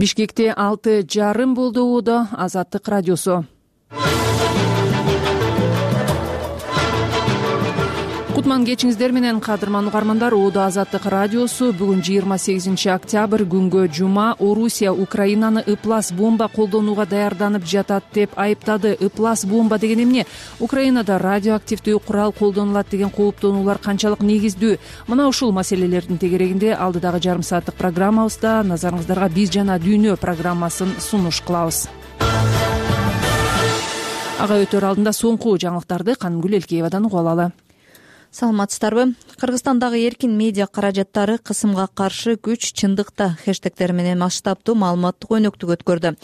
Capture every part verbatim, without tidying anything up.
Бишкекте алты жарым болду. Ууда Азаттык радиосу. Кутман кечиңиздер менен, кадырман угармандар. Ууда Азаттык радиосу бүгүн жыйырма сегизинчи октябрь күнгө жума. Орусия Украинаны ыплас бомба колдонууга даярданып жатат деп айыптады. Ыплас бомба деген эмне? Украинада радиоактивдүү курал колдонулат деген кооптонуулар канчалык негиздүү? Мына ушул маселелердин тегерегинде алдыдагы жарым сааттык программабызда назарыңыздарга Биз жана дүйнө программасын сунуш кылабыз. Ага өтөр алдында соңку жаңылыктарды Канымгүл Элкеевадан угуп алалы. Саламатсыздарбы? Кыргызстандагы эркин медиа каражаттары кысымга каршы күч чындыкта хэштегтери менен масштабдуу маалыматтык өнөктүк өткөрдү.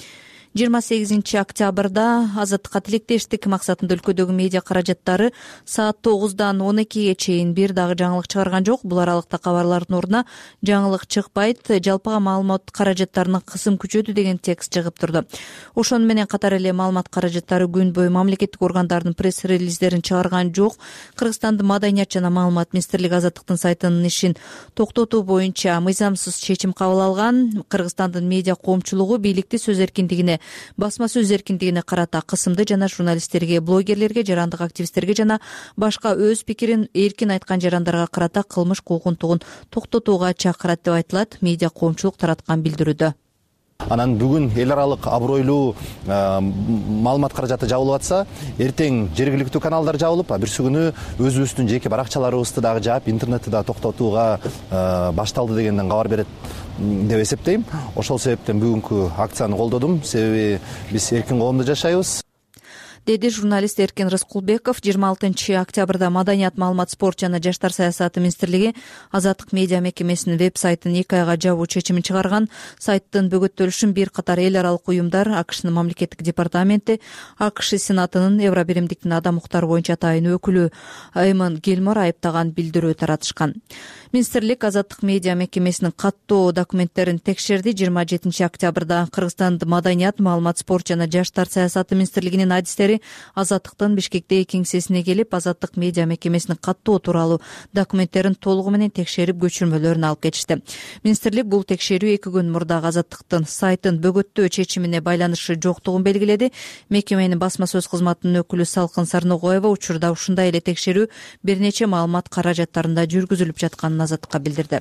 жыйырма сегизинчи октябрда Азаттыкка тилектештик максатында өлкөдөгү медиа каражаттары саат тогуздан он экиге чейин бир дагы жаңылык чыгарган жок. Бул аралыкта кабарлардын ордуна жаңылык чыкпайт, жалпыга маалымат каражаттарынын кысым күчөдү деген текст чыгып турду. Ошону менен катар эле маалымат каражаттары күн бою мамлекеттик органдардын пресс-релиздерин чыгарган жок. Кыргызстандын Маданият жана маалымат министрлиги Азаттыктын сайтынын ишин токтотуу боюнча мыйзамсыз чечим кабыл алган. Кыргызстандын медиа коомчулугу бийликти сөз эркиндигине, басма сөз эркиндигине карата кысымды жана журналисттерге, блогерлерге, жарандык активисттерге жана башка өз пикирин эркин айткан жарандарга карата кылмыш куугунтугун токтотууга чакырат деп айтылат медиа коомчулук тараткан билдирүүдө. Анан бүгүн эл аралык абройлуу маалымат каражаты жабылып атса, эртең жергиликтүү каналдар жабылып, а бирси күнү өзүбүздүн жеке баракчаларыбызды дагы жаап, интернетти да токтотууга башталды дегенден кабар берет деп эсептейм. Ошол себептен бүгүнкү акцияны колдодум. Себеби биз эркин коомдо жашайбыз, деди журналист Эркин Рыскулбеков. жыйырма алтынчы октябрда Маданият, маалымат, спорт жана жаштар саясаты министрлиги Азаттык медиа мекемесинин веб-сайтын эки айга жабуу чечимин чыгарган. Сайттын бөгөттөлүшүн бир катар эл аралык уюмдар, АКШнын мамлекеттик департаменти, АКШ Сенатынын Евробиримдиктин адам укуктары боюнча тайын өкүлү Эймон Гилмор айыптаган билдирүү таратышкан. Министрлик Азаттык медиа мекемесинин каттоо документтерин текшерди. жыйырма жетинчи октябрда Кыргызстандын Маданият, маалымат, спорт жана жаштар саясаты министрлигинин адистери Азаттыктын Бишкектеги кеңсесине келип, Азаттык медиа мекемесинин каттоо тууралуу документтерин толугу менен текшерип, көчүрмөлөрүн алып кетишти. Министрлик бул текшерүү эки күн мурда Азаттыктын сайтын бөгөттөө чечимине байланышы жоктугун белгиледи. Мекеменин басма сөз кызматынын өкүлү Салкын Сарногоева учурда ушундай эле текшерүү бир нече маалымат каражаттарында жүргүзүлүп жатканын Азаттыкка билдирди.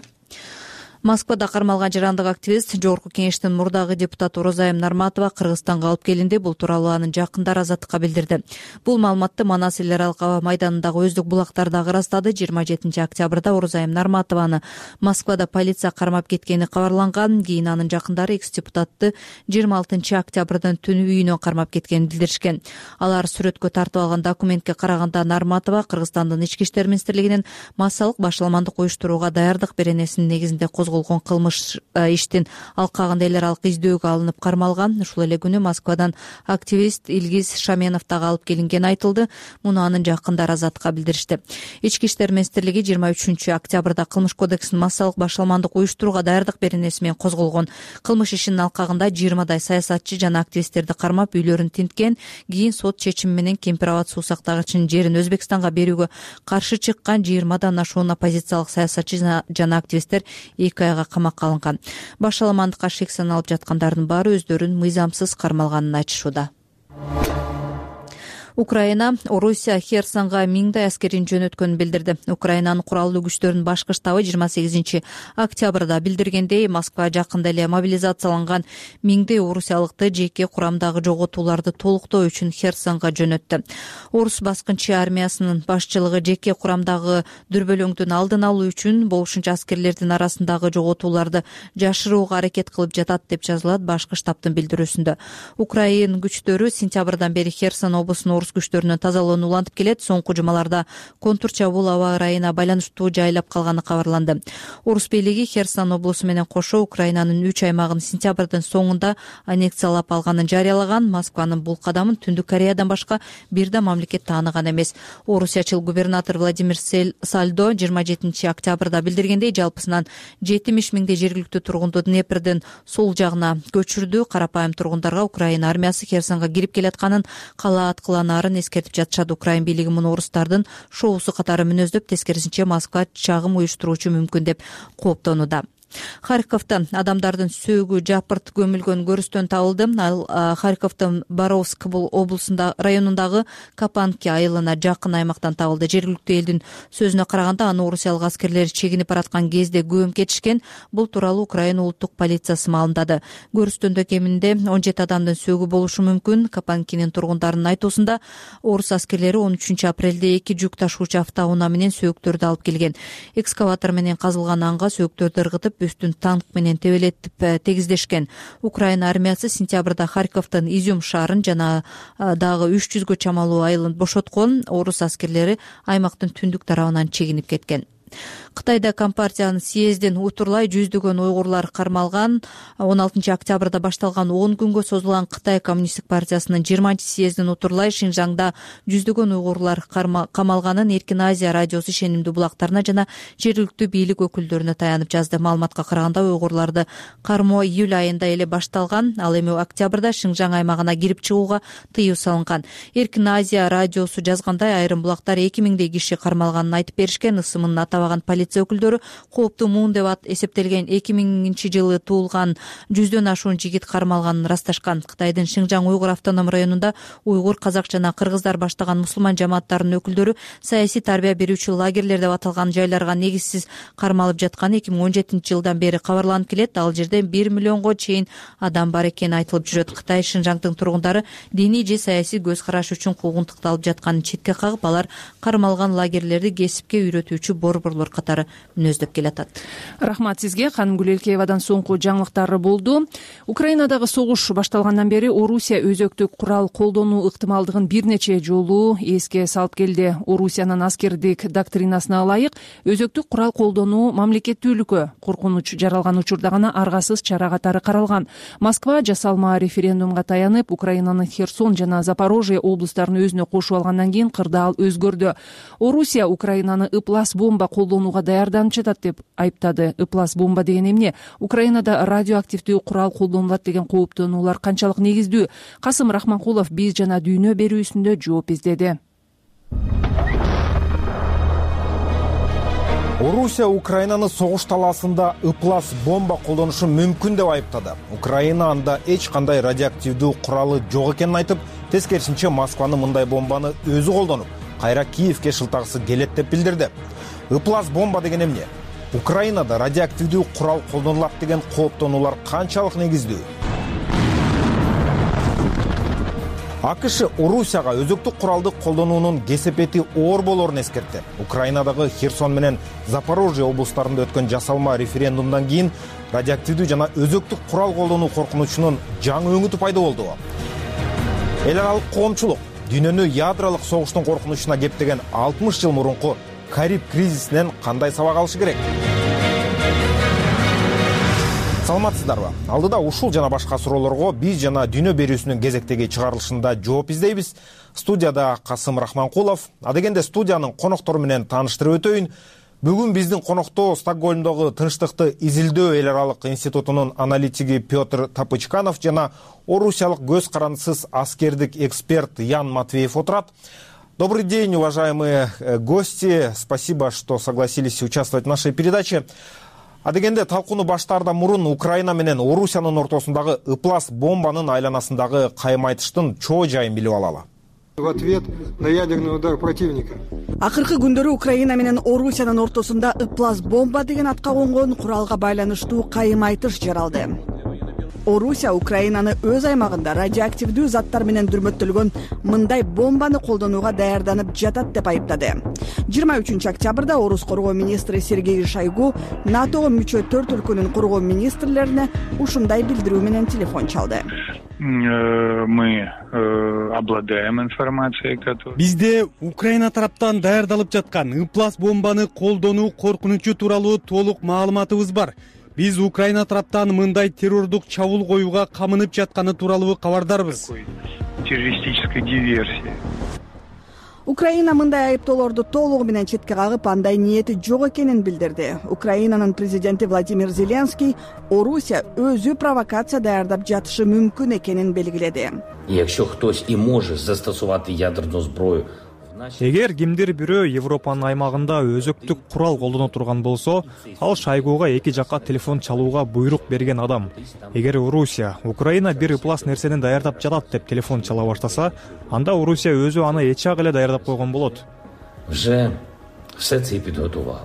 Москвада кармалган жарандык активист, Жогорку кеңештин мурдагы депутаты Орозайым Нарматова Кыргызстанга алып келинди. Бул тууралуу анын жакындары Азаттыкка билдирди. Бул маалыматты Манас эл аралык аба майданындагы өздүк булактар дагы ырастады. жыйырма жетинчи октябрда Орозайым Нарматованы Москвада полиция кармап кеткени кабарланган. Кийин анын жакындары экс-депутатты жыйырма алтынчы октябрдын түнү үйүнөн кармап кеткенин билдиришкен. Алар сүрөткө тартып алган документке караганда Нарматова Кыргызстандын ички иштер министрлигинин массалык башаламандык уюштурууга даярдык беренесинин негизинде козголгон кылмыш иштин алкагында эл аралык издөөгө алынып кармалган. Ушул эле күнү Москвадан активист Илгиз Шаменов дагы алып келингени айтылды. Муну анын жакындары Азаттыкка билдиришти. Ички иштер министрлиги жыйырма үчүнчү октябрда кылмыш кодексинин массалык башаламандык уюштурууга даярдык беренеси менен козголгон кылмыш ишинин алкагында жыйырмадай саясатчы жана активисттерди кармап, үйлөрүн тинткен. Кийин сот чечими менен Кемпир абад суу сактагычынын жерин Өзбекстанга берүүгө каршы чыккан жыйырмадан ашуун оппозициялык саясатчы жана активисттер эки айга камакка алынган. Башаламандыкка шек саналып жаткандардын баары өздөрүн мыйзамсыз кармалганын айтышууда. Украина Орусия Херсонго миңдей аскерин жөнөткөнүн билдирди. Украинанын куралдуу күчтөрүнүн башкы штабы жыйырма сегизинчи октябрда билдиргендей, Москва жакында эле мобилизацияланган миңдей орусиялыкты жеке курамдагы жоготууларды толуктоо үчүн Херсонго жөнөттү. Орус баскынчы армиясынын башчылыгы жеке курамдагы дүрбөлөңдүн алдын алуу үчүн болушунча аскерлердин арасындагы жоготууларды жашырууга аракет кылып жатат деп жазылат башкы штабтын билдирүүсүндө. Украин күчтөрү сентябрдан бери Херсон облусунун күчтөрүнүн тазалоону улантып келет. Соңку жумаларда контур чабуул аба ырайына байланыштуу жайлап калганы кабарланды. Орус бийлиги Херсон облусу менен кошо Украинанын үч аймагын сентябрдын соңунда аннексиялап алганын жарыялаган. Москванын бул кадамын Түндүк Кореядан башка бир да мамлекет тааныган эмес. Орусиячыл губернатор Владимир Сальдо жыйырма жетинчи октябрда билдиргендей, жалпысынан жетимиш миңдей жергиликтүү тургунду Днепрдин сол жагына көчүрдү. Карапайым тургундарга Украина армиясы Херсонго кирип келатканын, кала аткыланарын эскертип жатышат. Украин бийлиги муну орустардын шоусу катары мүнөздөп, тескерисинче Москва чагым уюштуруучу мүмкүн деп кооптонууда. Харьковдо адамдардын сөөгү жапырт көмүлгөн көрүстөн табылды. Ал Харьковдун Боровск облусунда районундагы Капанки айылына жакын аймактан табылды. Жергиликтүү элдин сөзүнө караганда аны орусиялык аскерлер чегинип бараткан кезде көмүп кетишкен. Бул тууралуу Украина улуттук полициясы маалымдады. Көрүстөндө кеминде он жети адамдын сөөгү болушу мүмкүн. Капанкинин тургундарынын айтуусунда орус аскерлери он үчүнчү апрелде эки жүк ташуучу автоунаа менен сөөктөрдү алып келген. Экскаватор менен казылган анга сөөктөрдү ыргытып, үстүн танк менен тебелетип тегиздешкен. Украина армиясы сентябрда Харьковдун Изюм шаарын жана дагы үч жүзгө чамалуу айылын бошоткон. Орус аскерлери аймактын түндүк тарабынан чегинип кеткен. Кытайда Компартиянын съездин утурлай жүздөгөн уйгурлар кармалган. он алтынчы октябрда башталган он күнгө созулган Кытай коммунисттик партиясынын жыйырманчы съездин утурлай Шинжаңда жүздөгөн уйгурлар камалганын Эркин Азия радиосу ишенимдүү булактарына жана жергиликтүү бийлик өкүлдөрүнө таянып жазды. Маалыматка караганда уйгурларды кармоо июль айында эле башталган. Ал эми октябрда Шинжаң аймагына кирип чыгууга тыюу салынган. Эркин Азия радиосу жазгандай, айрым булактар эки миңдей киши кармалганын айтып беришкен. Ысымын атабаган полиция өкүлдөрү кооптуу муун деп эсептелген эки миңинчи жылы туулган жүздөн ашуун жигит кармалганын ырасташкан. Кытайдын Шинжаң уйгур автоном районунда уйгур, казак жана кыргыздар баштаган мусулман жамааттарынын өкүлдөрү саясий тарбия берүүчү лагерлер деп аталган жайларга негизсиз кармалып жатканы эки миң он жетинчи жылдан бери кабарланып келет. Ал жерде бир миллионго чейин адам бар экени айтылып жүрөт. Кытай Шинжаңдын тургундары диний же саясий көз караш үчүн куугунтукталып жатканын четке кагып, алар кармалган лагерлерди кесипке үйрөтүүчү борборлор катары мүнөздөп келатат. Рахмат сизге. Ханым Гүлелкеевадан соңку жаңылыктар болду. Украинадагы согуш башталгандан бери Орусия өзөктүк курал колдонуу ыктымалдыгын бир нече жолу эске салып келди. Орусиянын аскердик доктринасына ылайык өзөктүк курал колдонуу мамлекеттүүлүккө коркунуч жаралган учурда гана аргасыз чара катары каралган. Москва жасалма референдумга таянып, Украинанын Херсон жана Запорожье облустарын өзүнө кошуп алгандан кийин кырдаал өзгөрдү. Орусия Украинаны ыплас бомба колдонууга даярданып жатат деп айыптады. Ыплас бомба деген эмне? Украинада радиоактивдүү курал колдонулат деген кооптонуулар канчалык негиздүү? Касым Рахманкулов биз жана дүйнө берүүсүндө жооп издеди. Орусия Украинаны согуш талаасында ыплас бомба колдонушу мүмкүн деп айыптады. Украина анда эч кандай радиоактивдүү куралы жок экенин айтып, тескерисинче Москваны мындай бомбаны өзү колдонуп, кайра Киевке шылтагысы келет деп билдирди. Ыплас бомба деген эмне? Украинада радиоактивдүү курал колдонулат деген кооптонуулар канчалык негиздүү? АКШ Орусияга өзөктүк куралды колдонуунун кесепети оор болорун эскертти. Украинадагы Херсон менен Запорожье облустарында өткөн жасалма референдумдан кийин радиоактивдүү жана өзөктүк курал колдонуу коркунучунун жаңы өңүтү пайда болду. Эл аралык коомчулук дүйнөнү ядролук согуштун коркунучуна кептеген алтымыш жыл мурунку Кариб кризисинен кандай сабак алышы керек? Саламатсыздарбы? Алдыда ушул жана башка суроолорго биз жана дүйнө берүүсүнүн кезектеги чыгарылышында жооп издейбиз. Студияда Касым Рахманкулов. Адегенде студиянын коноктору менен тааныштырып өтөйүн. Бүгүн биздин конокто Стокгольмдогу Тынчтыкты изилдөө эл аралык институтунун аналитиги Петр Тапычканов жана орусиялык көз карандысыз аскердик эксперт Ян Матвеев отурат. Добрый день, уважаемые гости. Спасибо, что согласились участвовать в нашей передаче. Адегенде талкууну баштаардан мурун Украина менен Орусиянын ортосундагы ыплас бомбанын айланасындагы кайым айтыштын чоо жайын билип алалы. В ответ на ядерный удар противника. Акыркы күндөрү Украина менен Орусиянын ортосунда ыплас бомба деген атка конгон куралга байланыштуу кайым айтыш жаралды. Орусия Украинаны өз аймагында радиоактивдүү заттар менен дүрмөттөлгөн мындай бомбаны колдонууга даярданып жатат деп айыптады. жыйырма үчүнчү октябрда Орус коргоо министри Сергей Шойгу НАТОго мүчө төрт өлкөнүн коргоо министрлерине ушундай билдирүү менен телефон чалды. Мы обладаем информацией, которая... Бизде Украина тараптан даярдалып жаткан ыплас бомбаны колдонуу коркунучу тууралуу толук маалыматыбыз бар. Биз Украина тараптан мындай террордук чабуул коюуга камынып жатканы тууралуу кабардарбыз. Террористической диверсии. Украина мындай айыптоолорду толугу менен четке кагып, андай ниети жок экенин билдирди. Украинанын президенти Владимир Зеленский Орусия өзү провокация даярдап жатышы мүмкүн экенин белгиледи. Якщо хтось і може застосувати ядерну зброю, Эгер кимдир бирөө Европанын аймагында өзөктүк курал колдоно турган болсо, ал Шойгуга эки жакка телефон чалууга буйрук берген адам. Эгер Орусия Украина бир ыплас нерсени даярдап жатат деп телефон чала баштаса, анда Орусия өзү аны эч ак эле даярдап койгон болот. Вже все це підготувала.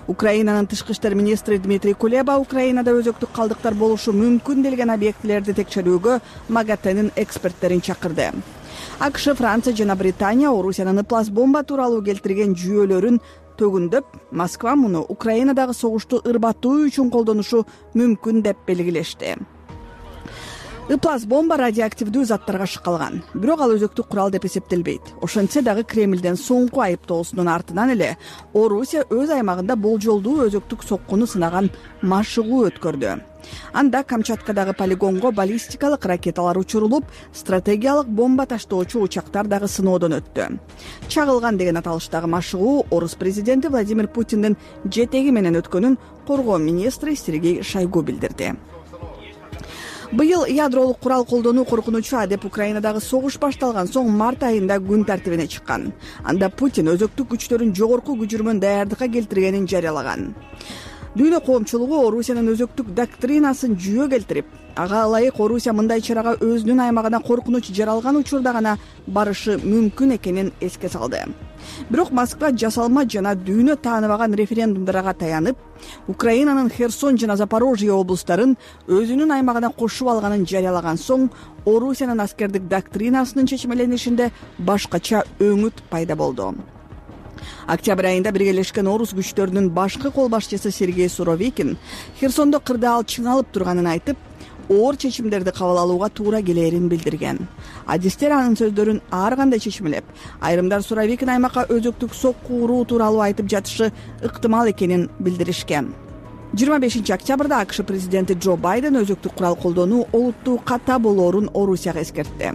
Украинанын тышкы иштер министри Дмитрий Кулеба Украинада өзөктүк калдыктар болушу мүмкүн делген объектилерди текшерүүгө МАГАТЭнин эксперттерин чакырды. АКШ, Франция жана Британия Орусиянын ыплас бомба тууралуу келтирген жүйөлөрүн төгүндөп, Москва муну Украинадагы согушту ырбатуу үчүн колдонушу мүмкүн деп белгилешти. Ыплас бомба радиоактивдүү заттарга шыккалган, бирок ал өзөктүк курал деп эсептелбейт. Ошентсе дагы Кремлден соңку айыптоосунун артынан эле Орусия өз аймагында болжолдуу өзөктүк соккуну сынаган машыгуу өткөрдү. Анда Камчаткадагы полигонго баллистикалык ракеталар учурулуп, стратегиялык бомба таштоочу учактар дагы сыноодон өттү. Чагылган деген аталыштагы машыгуу Орус президенти Владимир Путиндин жетеги менен өткөнүн коргоо министри Сергей Шойгу билдирди. Быйыл ядролук курал колдонуу коркунучу деп Украинадагы согуш башталган соң март айында күн тартибине чыккан. Анда Путин өзөктүк күчтөрүн жогорку күчүрмөн даярдыкка келтиргенин жарыялаган. Дүйнө коомчулугу Орусиянын өзөктүк доктринасын жүйө келтирип, ага ылайык Орусия мындай чарага өзүнүн аймагына коркунуч жаралган учурда гана барышы мүмкүн экенин эске салды. Бирок Москва жасалма жана дүйнө тааныбаган референдумдарга таянып, Украинанын Херсон жана Запорожье облустарын өзүнүн аймагына кошуп алганын жарыялаган соң, Орусиянын аскердик доктринасынын чечмеленишинде башкача өңүт пайда болду. Октябрь айында биргелешкен орус күчтөрүнүн башкы кол башчысы Сергей Суровикин Херсондо кырдаал чыңалып турганын айтып, оор чечимдерди кабыл алууга туура келээрин билдирген. Адистер анын сөздөрүн ар кандай чечмелеп, айрымдар Суровикин аймакка өзөктүк сокку уруу тууралуу айтып жатышы ыктымал экенин билдиришкен. жыйырма бешинчи октябрда АКШ президенти Джо Байден өзөктүк курал колдонуу олуттуу ката болоорун Орусияга эскертти.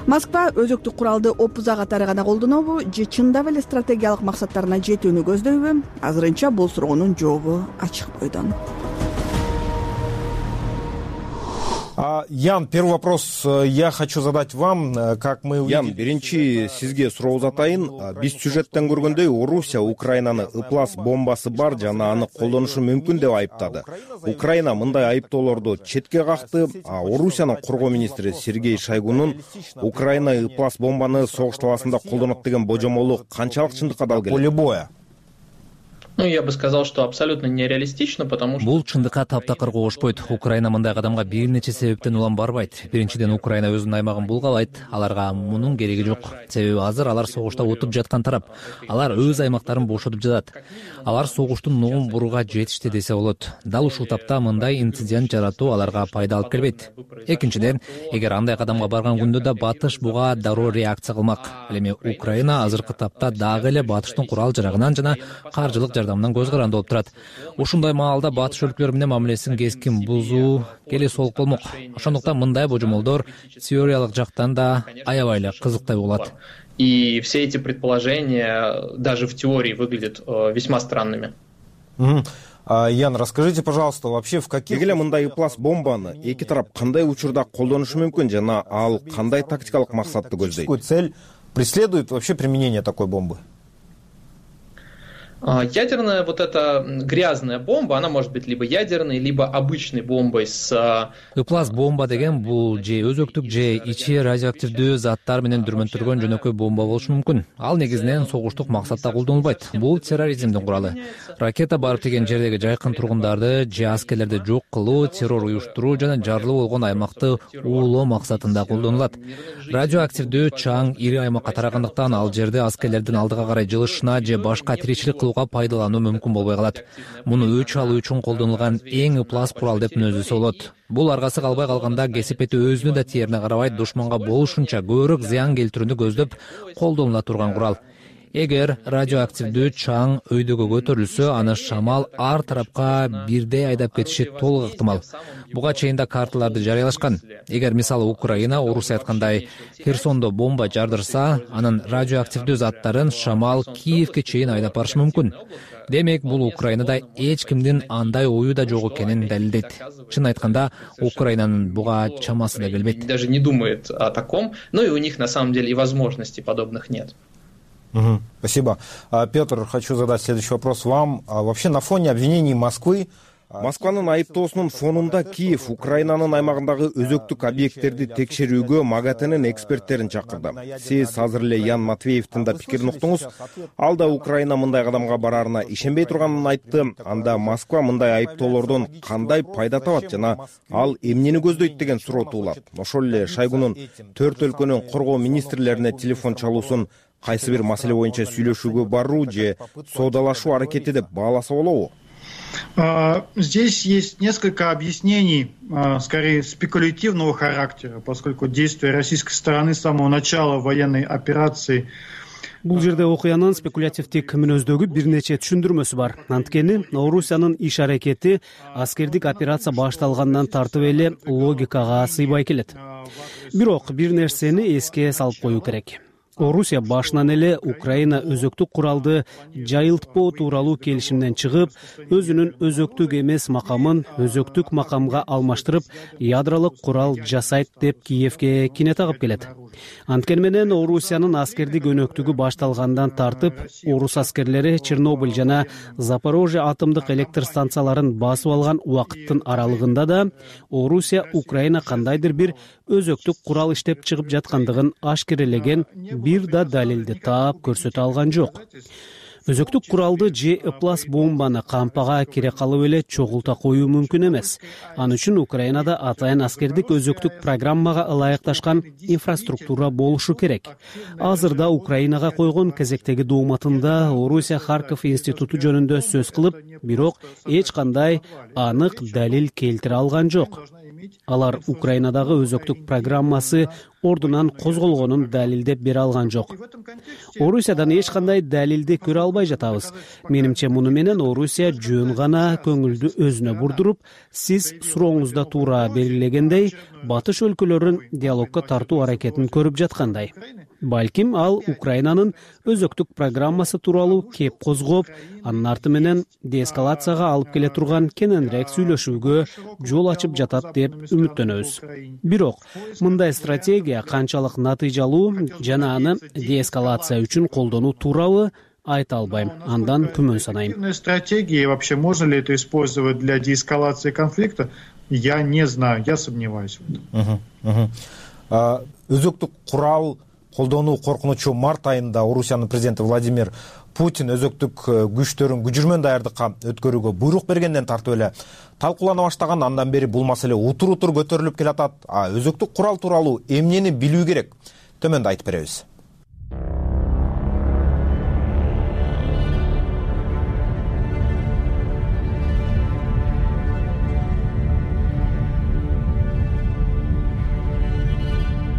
Москва өзөктүк куралды опуза катары гана колдонобу же чындап эле стратегиялык максаттарына жетүүнү көздөйбү? Азырынча бул суроонун жообу ачык бойдон. Ян, первый вопрос я хочу задать вам, как мы увидели. Ян, биринчи сизге суроо узатайын. Биз сюжеттен көргөндөй Орусия Украинаны ыплас бомбасы бар жана аны колдонушу мүмкүн деп айыптады. Украина мындай айыптоолорду четке какты. Орусиянын коргоо министри Сергей Шойгунун Украина ыплас бомбаны согуш талаасында колдонот деген божомолу канчалык чындыкка дал келет? Поле боя. Ну, я бы сказал, что абсолютно нереалистично, потому что... Бул чындыкка таптакыр кошпойт. Украина мындай кадамга бир нече себептен улам барбайт. Биринчиден, Украина өзүнүн аймагын булгалайт. Аларга мунун кереги жок. Себеби азыр алар согушта отуп жаткан тарап. Алар өз аймактарын бошотуп жатат. Алар согуштун ногун бурууга жетишти десе болот. Дал ушул тапта мындай инцидент жаратуу аларга пайда алып келбейт. Экинчиден, эгер андай кадамга барган күндө да Батыш буга дароо реакция кылмак. Ал эми Украина азыркы тапта дагы эле Батыштын курал жарагынан жана каржылык жардамынан көз каранды болуп турат. Ушундай маалда Батыш өлкөлөрү менен мамилесин кескин бузуу келе сол болмок. Ошондуктан мындай божомолдор теориялык жактан да аябай эле кызыктай болот. И все эти предположения даже в теории выглядят весьма странными. Ян, расскажите, пожалуйста, вообще в каких... Эгер мындай ыплас бомбаны эки тарап кандай учурда колдонушу мүмкүн жана ал кандай тактикалык максатты көздөйт? Какую цель преследует вообще применение такой бомбы? Ядерная вот эта грязная бомба, она может быть либо ядерной, либо обычной бомбой с... Ыплас бомба деген бул же өзөктүк же ичи радиоактивдүү заттар менен дүрмөнтүлгөн жөнөкөй бомба болушу мүмкүн. Ал негизинен согуштук максатта колдонулбайт. Бул терроризмдин куралы. Ракета барып тийген жердеги жайкын тургундарды же аскерлерди жок кылуу, террор уюштуруу жана жарлуу болгон аймакты уулоо максатында колдонулат. Радиоактивдүү чаң ири аймакка тарагандыктан ал жерде аскерлердин алдыга карай жылышына же башка тиричилик кылууга пайдалануу мүмкүн болбой калат. Муну өч алуу үчүн колдонулган эң ыплас курал деп мүнөздөсө болот. Бул аргасы калбай калганда кесипети өзүнүн да тээрине карабай душманга болушунча көбүрөөк зыян келтирүүнү көздөп колдонула турган курал. Эгер радиоактивдүү чаң өйдөгө көтөрүлсө, аны шамал ар тарапка бирдей айдап кетиши толук ыктымал. Буга чейин да карталарды жарыялашкан. Эгер мисалы Украина Орусия айткандай Херсондо бомба жардырса, анын радиоактивдүү заттарын шамал Киевке чейин айдап барышы мүмкүн. Демек, бул Украинада эч кимдин андай ою да жок экенин далилдейт. Чын айтканда, Украинанын буга чамасы да келбейт. Даже не думает о таком, но и у них на самом деле и возможностей подобных нет. Спасибо. Петр, хочу задать следующий вопрос вам. Вообще на фоне обвинений Москвы Москванын айыптоосунун фонунда Киев Украинанын аймагындагы өзөктүк объекттерди текшерүүгө МАГАТЭнин эксперттерин чакырды. Сиз азыр эле Ян Матвеевдин да пикирин уктуңуз. Ал да Украина мындай кадамга бараарына ишенбей турганын айтты. Анда Москва мындай айыптоолордон кандай пайда табат жана ал эмнени көздөйт деген суроо туулат. Ошол эле Шойгунун төрт өлкөнүн коргоо министрлерине телефон чалуусун кайсы бир маселе боюнча сүйлөшүүгө баруу же соодалашуу аракети деп бааласа болобу? Здесь есть несколько объяснений, скорее спекулятивного характера, поскольку действия российской стороны с самого начала военной операции. Бул жерде окуянын спекулятивдик мүнөздөгү бир нече түшүндүрмөсү бар. Анткени Орусиянын иш аракети аскердик операция башталгандан тартып эле логикага сыйбай келет. Бирок бир нерсени эске салып коюу керек. Орусия башынан эле Украина өзөктүк куралды жайылтпоо тууралуу келишимден чыгып, өзүнүн өзөктүк эмес макамын өзөктүк макамга алмаштырып, ядролук курал жасайт деп Киевге кине тагып келет. Анткени менен Орусиянын аскердик өнөктүгү башталгандан тартып, орус аскерлери Чернобыль жана Запорожье атомдук электр станцияларын басып алган убакыттын аралыгында да Орусия Украина кандайдыр бир өзөктүк курал иштеп чыгып жаткандыгын ашкерелеген бир да далилди таап көрсөтө алган жок. Өзөктүк куралды же ыплас бомбаны кампага кире калып эле чогулта коюу мүмкүн эмес. Ал үчүн Украинада атайын аскердик өзөктүк программага ылайыкташкан инфраструктура болушу керек. Азырда Украинага койгон кезектеги дооматында Орусия Харьков институту жөнүндө сөз кылып, бирок эч кандай анык далил келтире алган жок. Алар Украинадагы өзөктүк программасы ордунан козголгонун далилдеп бере алган жок. Орусиядан эч кандай далилди көрө албай жатабыз. Менимче муну менен Орусия жөн гана көңүлдү өзүнө бурдуруп, сиз сурооңузда туура белгилегендей, батыш өлкөлөрүн диалогко тартуу аракетин көрүп жаткандай. Балким ал Украинанын өзөктүк программасы тууралуу кеп козгоп, анын арты менен деэскалацияга алып келе турган кененирээк сүйлөшүүгө жол ачып жатат деп үмүттөнөбүз. Бирок мындай стратегия канчалык натыйжалуу жана аны деэскалация үчүн колдонуу туурабы айта албайм. Андан күмөн санайм. Стратегии вообще можно ли это использовать для деэскалации конфликта? Я не знаю, я сомневаюсь в этом. Өзөктүк курал колдонуу коркунучу март айында Орусиянын президенти Владимир Путин өзөктүк күчтөрүн күжүрмөн даярдыкка өткөрүүгө буйрук бергенден тартып эле талкуулана баштаган. Андан бери бул маселе утур утур көтөрүлүп келатат. А өзөктүк курал тууралуу эмнени билүү керек? Төмөндө айтып беребиз.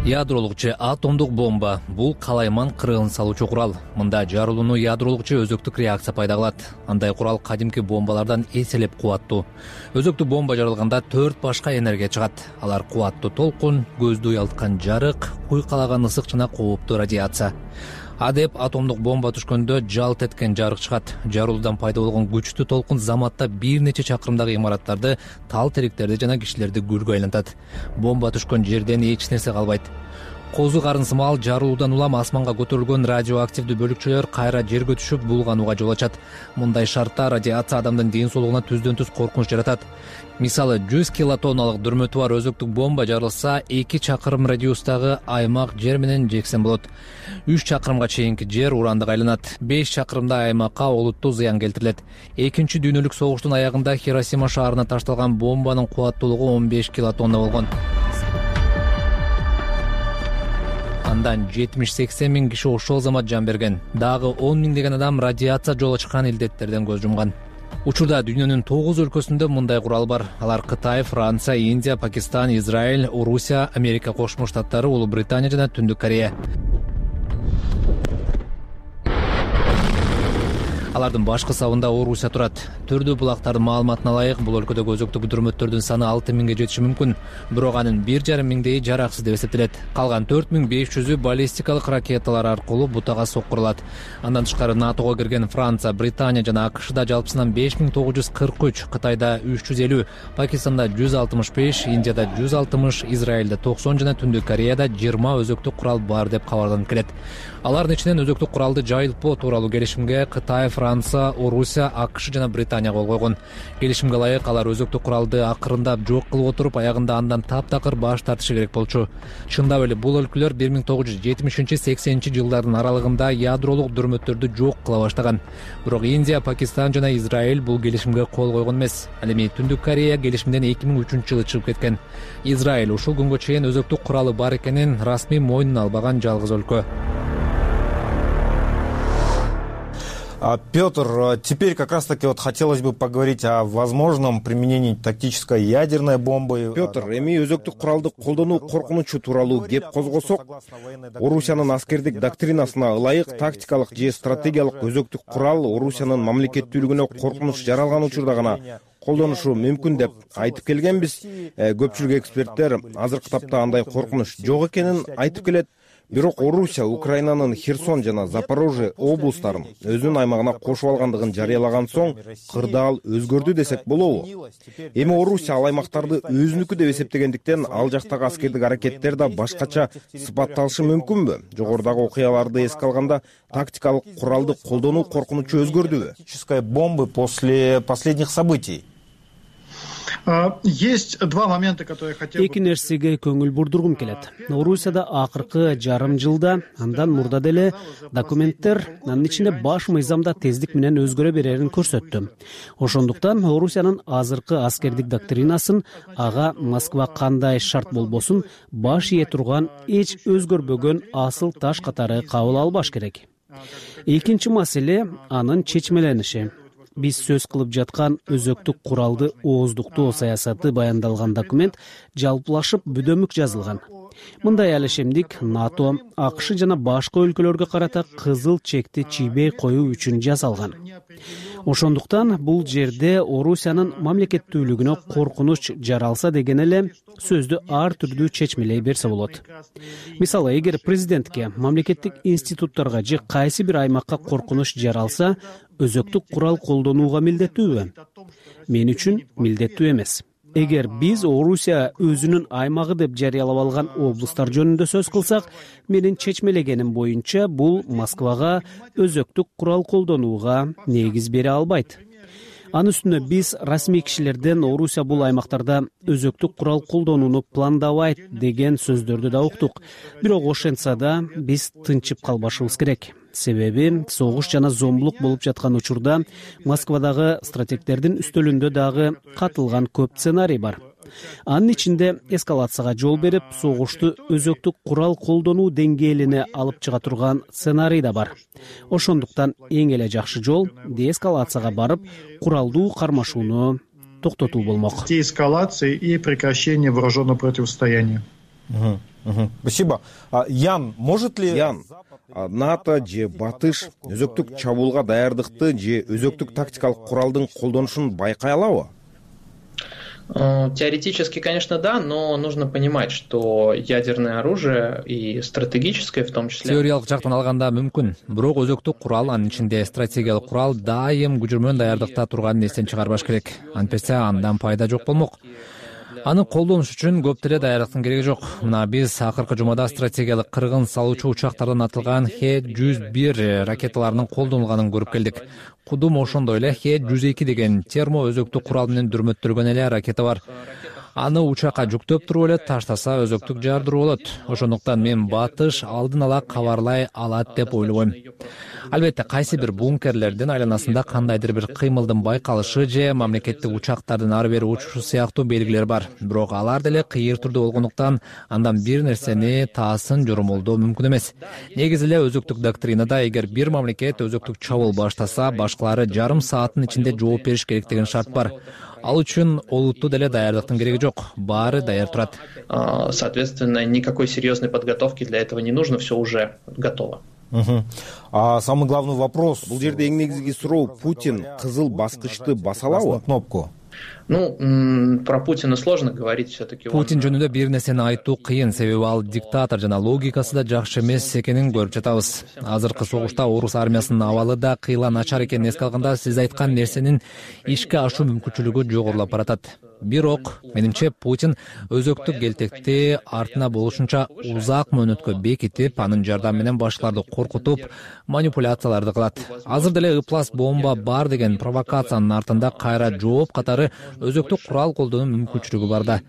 Ядролук же атомдук бомба бул калайман кыргын салуучу курал. Мында жарылууну ядролук же өзөктүк реакция пайда кылат. Андай курал кадимки бомбалардан эселеп кубаттуу. Өзөктүк бомба жарылганда төрт башка энергия чыгат. Алар кубаттуу толкун, көздү уялткан жарык, куйкалаган ысык жана кооптуу радиация. Адеп атомдук бомба түшкөндө жалт эткен жарык чыгат. Жарылуудан пайда болгон күчтүү толкун заматта бир нече чакырымдагы имараттарды, тал теректерди жана кишилерди күлгө айлантат. Бомба түшкөн жерден эч нерсе калбайт. Козу карын сымал жарылуудан улам асманга көтөрүлгөн радиоактивдүү бөлүкчөлөр кайра жерге түшүп булганууга жол ачат. Мындай шартта радиация адамдын ден соолугуна түздөн түз коркунуч жаратат. Мисалы, жүз килотонналык дүрмөтү бар өзөктүк бомба жарылса, эки чакырым радиустагы аймак жер менен жексен болот. үч чакырымга чейинки жер урандык айланат. беш чакырымда аймакка олуттуу зыян келтирилет. Экинчи дүйнөлүк согуштун аягында Хиросима шаарына ташталган бомбанын кубаттуулугу он беш килотонна болгон. Андан жетимиш сексен миң киши ошол замат жан берген. Дагы он миңдеген адам радиация жол ачкан илдеттерден көз жумган. Учурда дүйнөнүн тогуз өлкөсүндө мындай курал бар. Алар Кытай, Франция, Индия, Пакистан, Израиль, Орусия, Америка Кошмо Штаттары, Улуу Британия жана Түндүк Корея. алардын башкы сабында Орусия турат. Түрдүү булактардын маалыматына ылайык, бул өлкөдөгү өзөктүк дүрмөттөрдүн саны алты миңге жетиши мүмкүн, бирок анын бир жарым миңдейи жараксыз деп эсептелет. Калган төрт миң беш жүзү баллистикалык ракеталар аркылуу бутага соккурулат. Андан тышкары НАТОго кирген Франция, Британия жана АКШда жалпысынан беш миң тогуз жүз кырк үч, Кытайда үч жүз элүү, Пакистанда жүз алтымыш беш, Индияда жүз алтымыш, Израилде токсон жана Түндүк Кореяда жыйырма өзөктүк курал бар деп кабарланып келет. Алардын ичинен өзөктүк куралды жайылтпоо тууралуу келишимге Кытай, Франция, Орусия, АКШ жана Британия кол койгон. Келишимге ылайык алар өзөктүк куралды акырындап жок кылып отуруп, аягында андан таптакыр баш тартышы керек болчу. Чындап эле бул өлкөлөр бир миң тогуз жүз жетимишинчи сексенинчи жылдардын аралыгында ядролук дүрмөттөрдү жок кыла баштаган. Бирок Индия, Пакистан жана Израиль бул келишимге кол койгон эмес. Ал эми Түндүк Корея келишимден эки миң үчүнчү жылы чыгып кеткен. Израиль ушул күнгө чейин өзөктүк куралы бар экенин расмий мойнуна албаган жалгыз өлкө. Петр, теперь как раз-таки вот хотелось бы поговорить о возможном применении тактической ядерной бомбы. Петр, эми өзөктүк куралды колдонуу коркунучу тууралуу кеп козгосок, Орусиянын аскердик доктринасына ылайык тактикалык же стратегиялык өзөктүк курал Орусиянын мамлекеттүүлүгүнө коркунуч жаралган учурда гана колдонушу мүмкүн деп айтып келгенбиз. Көпчүлүк эксперттер азыркы тапта андай коркунуч жок экенин айтып келет. Бирок Орусия Украинанын Херсон жана Запорожье облустарын өзүнүн аймагына кошуп алгандыгын жарыялаган соң кырдаал өзгөрдү десек болобу? Эми Орусия ал аймактарды өзүнүкү деп эсептегендиктен ал жактагы аскердик аракеттер да башкача сыпатталышы мүмкүнбү? Жогорудагы окуяларды эске алганда тактикалык куралды колдонуу коркунучу өзгөрдүбү? Тактической бомбы после последних событий. Есть два момента, которые хотел бы... Эки нерсеге көңүл бурдургум келет. Орусияда акыркы жарым жылда, андан мурда деле документтер анын ичинде баш мыйзамда тездик менен өзгөрө берерин көрсөттү. Ошондуктан Орусиянын азыркы аскердик доктринасын ага Москва кандай шарт болбосун баш ие турган эч өзгөрбөгөн асыл таш катары кабыл албаш керек. Экинчи маселе анын чечмелениши. Биз сөз кылып жаткан өзөктүк куралды ооздуктоо саясаты баяндалган документ жалпылашып бүдөмүк жазылган. Мындай алишемдик НАТО, АКШ жана башка өлкөлөргө карата кызыл чекти чийбей коюу үчүн жасалган. Ошондуктан бул жерде Орусиянын мамлекеттүүлүгүнө коркунуч жаралса деген эле сөздү ар түрдүү чечмелей берсе болот. Мисалы, эгер президентке, мамлекеттик институттарга же кайсы бир аймакка коркунуч жаралса, өзөктүк курал колдонууга милдеттүүбү? Мен үчүн милдеттүү эмес. Эгер биз Орусия өзүнүн аймагы деп жарыялап алган облустар жөнүндө сөз кылсак, менин чечмелегеним боюнча бул Москвага өзөктүк курал колдонууга негиз бере албайт. Анын үстүнө биз расмий кишилерден Орусия бул аймактарда өзөктүк курал колдонууну пландабайт деген сөздөрдү да уктук. Бирок ошентсе да биз тынчып калбашыбыз керек. Себеби согуш жана зомбулук болуп жаткан учурда Москвадагы стратегдердин үстөлүндө дагы катылган көп сценарий бар. Анын ичинде эскалацияга жол берип, согушту өзөктүк курал колдонуу деңгээлине алып чыга турган сценарий да бар. Ошондуктан эң эле жакшы жол деэскалацияга барып, куралдуу кармашууну токтотуу болмок. Деэскалация и прекращение вооруженного противостояния. Спасибо. Ян, может ли... Ян, НАТО же Батыш өзөктүк чабуулга даярдыкты же өзөктүк тактикалык куралдын колдонушун байкай алабы? Теоретически, конечно, да, но нужно понимать, что ядерное оружие и стратегическое в том числе... Теориялык жактан алганда мүмкүн, бирок өзөктүк курал, анын ичинде стратегиялык курал дайым күчөрмөн даярдыкта турганын эстен чыгарбаш керек. Антпесе андан пайда жок болмок. Аны колдонуш үчүн көп деле даярдыктын кереги жок. Мына биз акыркы жумада стратегиялык кыргын салуучу учактардан атылган Х жүз бир ракеталарынын колдонулганын көрүп келдик. Кудум ошондой эле Х жүз эки деген термо өзөктүк курал менен дүрмөттөлгөн эле ракета бар. Аны учакка жүктөп туруп эле таштаса өзөктүк жардыруу болот. Ошондуктан мен Батыш алдын ала кабарлай алат деп ойлойм. Албетте, кайсы бир бункерлердин айланасында кандайдыр бир кыймылдын байкалышы же мамлекеттик учактардын ары бери учушу сыяктуу белгилер бар. Бирок алар деле кыйыр түрдө болгондуктан андан бир нерсени таасын жоромолдоо мүмкүн эмес. Негизи эле өзөктүк доктринада эгер бир мамлекет өзөктүк чабуул баштаса, башкалары жарым сааттын ичинде жооп бериш керек деген шарт бар. Ал үчүн олуттуу деле даярдыктын кереги жок. Баары даяр турат. Соответственно, никакой серьезной подготовки для этого не нужно, все уже готово. А самый главный вопрос, бул жерде эң негизги суроо, Путин кызыл баскычты баса алабы? Кнопку. Ну, про Путина сложно говорить все-таки. Путин жөнүндө бир нерсени айтуу кыйын, себеби ал диктатор жана логикасы да жакшы эмес экенин көрүп жатабыз. Азыркы согушта орус армиясынын абалы да кыйла начар экенин эске алганда, сиз айткан нерсенин ишке ашуу мүмкүнчүлүгү жогорулап баратат. Бирок, менимче, Путин өзөктүк келтекти артына болушунча узак мөөнөткө бекитип, анын жардамы менен башкаларды коркутуп, манипуляцияларды кылат. Азыр деле ыплас бомба бар деген провокациянын артында кайра жооп катары өзөктүк курал колдонуу мүмкүнчүлүгү бар да.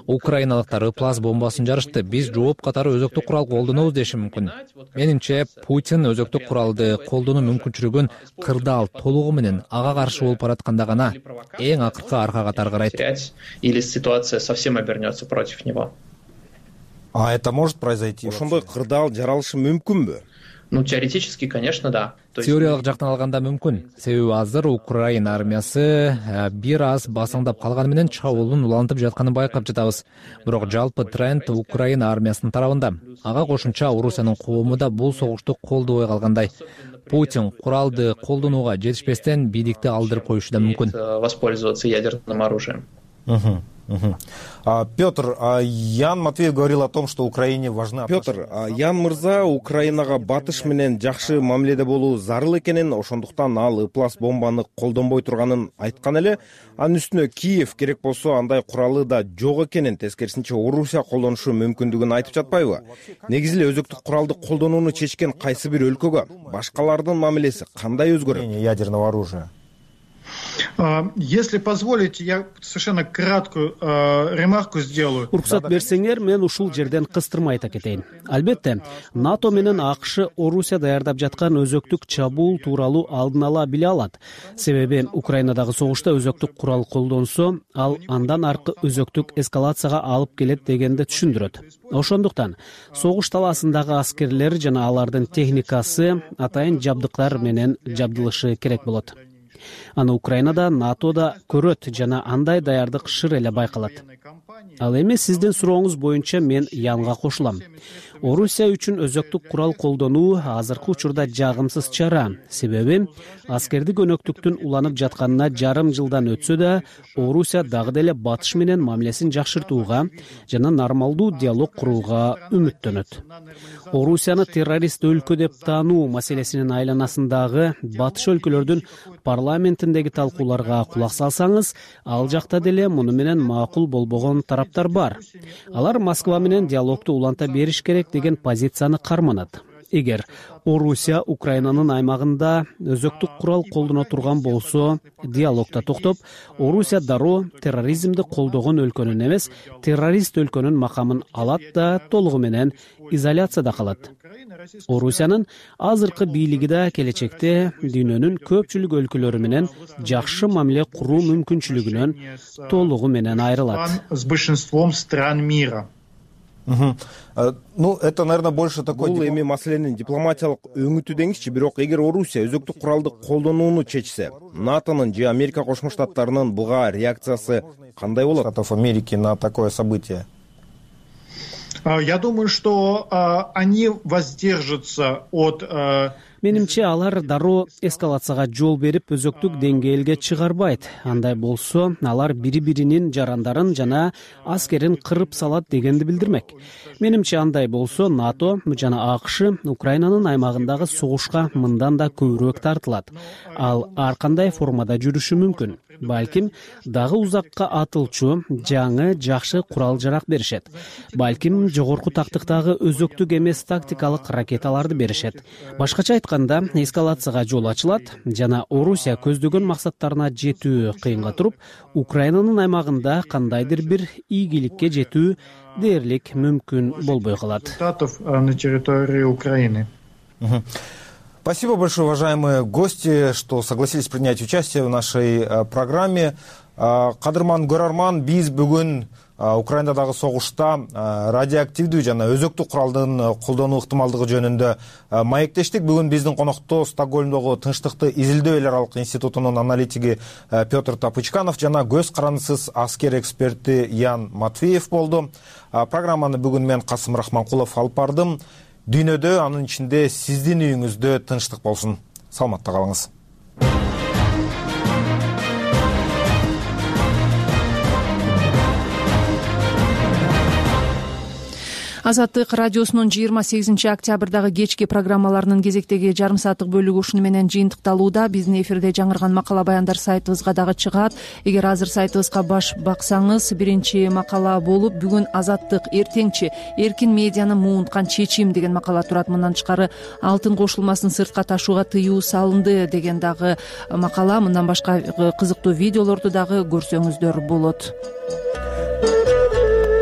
Украиналыктар ыплас бомбасын жарышты, биз жооп катары өзөктүк курал колдонобуз деши мүмкүн. Менимче, Путин өзөктүк куралды колдонуу мүмкүнчүлүгүн кырдаал толугу менен ага каршы болуп баратканда гана эң акыркы аркага таргарайт. Или ситуация совсем обернется против него. А это может произойти? Ошондой кырдаал жаралышы мүмкүнбү? Ну, теоретически, конечно, да. Теориялык жактан алганда мүмкүн. Себеби азыр Украина армиясы бир аз басаңдап калганы менен чабуулдун улантып жатканын байкап жатабыз. Бирок жалпы тренд Украина армиясынын тарабында. Ага кошумча Орусиянын коому да бул согушту колдобой калгандай. Путин куралды колдонууга жетишпестен бийликти алдырып коюшу да мүмкүн. Воспользоваться ядерным оружием. Угу, угу. А, Петр, а Ян Матвеев говорил о том, что Украине важна... Петр, а Ян мырза Украинага батыш менен жакшы мамиледе болуу зарыл экенин, ошондуктан ал ыплас бомбаны колдонбой турганын айткан эле. Анын үстүнө Киев керек болсо андай куралы да жок экенин, тескерисинче Орусия колдонушу мүмкүндүгүн айтып жатпайбы? Негизи эле өзөктүк куралды колдонууну чечкен кайсы бир өлкөгө башкалардын мамилеси кандай өзгөрөт? Ядерного оружия. Если позволите, я совершенно краткую э, ремарку сделаю. Уруксат берсеңер, мен ушул жерден кыстырма айта кетейин. Албетте, НАТО менен АКШ Орусия даярдап жаткан өзөктүк чабуул тууралуу алдын ала биле алат. Себеби Украинадагы согушта өзөктүк курал колдонсо, ал андан аркы өзөктүк эскалацияга алып келет дегенди түшүндүрөт. Ошондуктан согуш талаасындагы аскерлер жана алардын техникасы атайын жабдыктар менен жабдылышы керек болот. Аны Украинада, НАТОда көрөт жана андай даярдык шыр эле байкалат. Ал эми сиздин сурооңуз боюнча мен Янга кошулам. Орусия үчүн өзөктүк курал колдонуу азыркы учурда жагымсыз чара. Себеби аскердик өнөктүктүн уланып жатканына жарым жылдан өтсө да, Орусия дагы деле батыш менен мамилесин жакшыртууга жана нормалдуу диалог курууга үмүттөнөт. Орусияны террорист өлкө деп таануу маселесинин айланасындагы батыш өлкөлөрдүн парламентиндеги талкууларга кулак салсаңыз, ал жакта деле муну менен макул болбогон тараптар бар. Алар Москва менен диалогду уланта бериш керек деген позицияны карманат. Эгер Орусия Украинанын аймагында өзөктүк курал колдоно турган болсо, диалогда токтоп, Орусия дароо терроризмди колдогон өлкөнүн эмес, террорист өлкөнүн макамын алат да толугу менен изоляцияда калат. Орусиянын азыркы бийлиги да келечекте дүйнөнүн көпчүлүк өлкөлөрү менен жакшы мамиле куруу мүмкүнчүлүгүнөн толугу менен айрылат. С большинством стран мира. Угу. Ну, это, наверное, больше такой... Бул эми маселенин дипломатиялык өңүтү деңизчи, бирок эгер Орусия өзөктүк куралды колдонууну чечсе, НАТОнун же Америка Кошмо Штаттарынын буга реакциясы кандай болот? Штатов Америки на такое событие? Я думаю, что uh, они воздержатся от... Uh... Менимче алар дароо эскалацияга жол берип өзөктүк деңгээлге чыгарбайт. Андай болсо, алар бири-биринин жарандарын жана аскерин кырып салат дегенди билдирмек. Менимче андай болсо, НАТО жана АКШ Украинанын аймагындагы согушка мындан да көбүрөөк тартылат. Ал ар кандай формада жүрүшү мүмкүн. Балким дагы узакка атылчу жаңы жакшы курал жарак беришет. Балким жогорку тактыктагы өзөктүк эмес тактикалык ракеталарды беришет. Башкача айтканда, эскалацияга жол ачылат жана Орусия көздөгөн максаттарына жетүү кыйынга туруп, Украинанын аймагында кандайдыр бир ийгиликке жетүү дээрлик мүмкүн болбой калат. На территории Украины. Спасибо большое, уважаемые гости, что согласились принять участие в нашей программе. Кадырман Көрарман, биз бүгүн Украинадагы согушта радиоактивдүү жана өзөктүк куралдын колдонуу ыктымалдыгы жөнүндө маектештик. Бүгүн биздин конокто Стокгольмдогу Тынчтыкты изилдөө эл аралык институтунун аналитиги Петр Тапычканов жана көз карандысыз аскер эксперти Ян Матвеев болду. Программаны бүгүн мен Касым Рахманкулов алып бардым. дүйнөдө, анын ичинде сиздин үйүңүздө тынчтык болсун. Саламатта калыңыз. Азаттык радиосунун жыйырма сегизинчи октябрдагы кечки программаларынын кезектеги жарым сааттык бөлүгү ушуну менен жыйынтыкталууда. Биздин эфирде жаңырган макала баяндар сайтыбызга дагы чыгат. Эгер азыр сайтыбызга баш баксаңыз, биринчи макала болуп бүгүн Азаттык эртеңчи эркин медианы муунткан чечим деген макала турат. Мындан тышкары алтын кошулмасын сыртка ташууга тыюу салынды деген дагы макала. Мындан башка кызыктуу видеолорду дагы көрсөңүздөр болот.